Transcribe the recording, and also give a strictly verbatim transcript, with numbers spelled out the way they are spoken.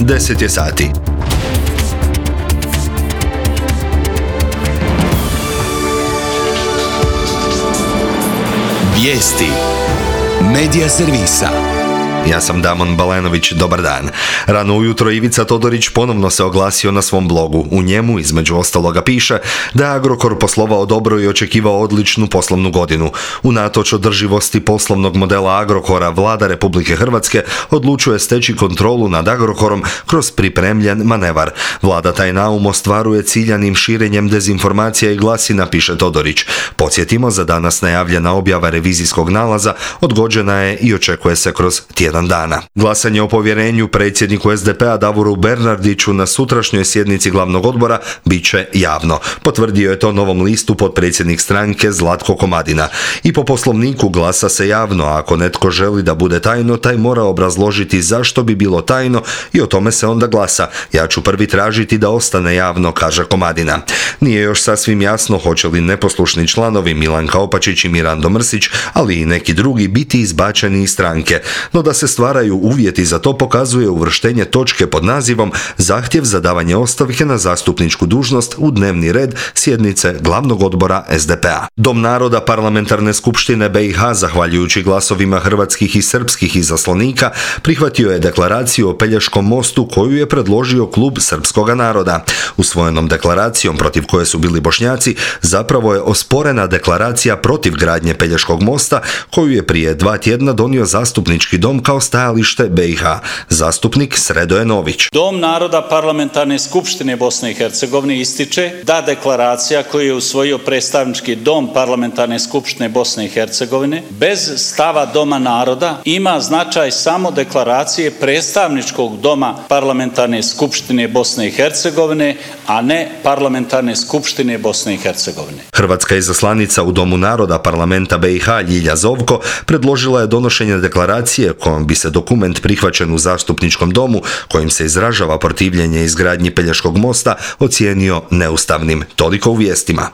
deset je sati. Vijesti Medija servisa. Ja sam Damon Balenović, dobar dan. Rano ujutro Ivica Todorić ponovno se oglasio na svom blogu. U njemu, između ostaloga, piše da je Agrokor poslovao dobro i očekivao odličnu poslovnu godinu. Unatoč održivosti poslovnog modela Agrokora, vlada Republike Hrvatske odlučuje steći kontrolu nad Agrokorom kroz pripremljen manevar. Vlada taj naum ostvaruje ciljanim širenjem dezinformacija i glasina, piše Todorić. Podsjetimo, za danas najavljena objava revizijskog nalaza odgođena je i očekuje se kroz tjedan dana. Glasanje o povjerenju predsjedniku es de pe a Davoru Bernardiću na sutrašnjoj sjednici glavnog odbora bit će javno. Potvrdio je to Novom listu potpredsjednik stranke Zlatko Komadina. I po poslovniku glasa se javno, a ako netko želi da bude tajno, taj mora obrazložiti zašto bi bilo tajno i o tome se onda glasa. Ja ću prvi tražiti da ostane javno, kaže Komadina. Nije još sasvim jasno hoće li neposlušni članovi Milanka Opačić i Mirando Mrsić, ali i neki drugi, biti izbačeni iz stranke. No da se stvaraju uvjeti za to pokazuje uvrštenje točke pod nazivom Zahtjev za davanje ostavke na zastupničku dužnost u dnevni red sjednice glavnog odbora es de pe a. Dom naroda Parlamentarne skupštine be i ha, zahvaljujući glasovima hrvatskih i srpskih izaslanika, prihvatio je deklaraciju o Pelješkom mostu koju je predložio klub srpskoga naroda. Usvojenom deklaracijom, protiv koje su bili Bošnjaci, zapravo je osporena deklaracija protiv gradnje Pelješkog mosta koju je prije dva tjedna donio zastupnički dom kao stajalište be i ha. Zastupnik Sredoje Nović. Dom naroda Parlamentarne skupštine Bosne i Hercegovine ističe da deklaracija koju je usvojio predstavnički dom Parlamentarne skupštine Bosne i Hercegovine bez stava Doma naroda ima značaj samo deklaracije predstavničkog doma Parlamentarne skupštine Bosne i Hercegovine, a ne Parlamentarne skupštine Bosne i Hercegovine. Hrvatska izaslanica u Domu naroda Parlamenta be i ha Ljilja Zovko predložila je donošenje deklaracije kojom bi se dokument prihvaćen u zastupničkom domu, kojim se izražava protivljenje izgradnji Pelješkog mosta, ocijenio neustavnim. Toliko u vijestima.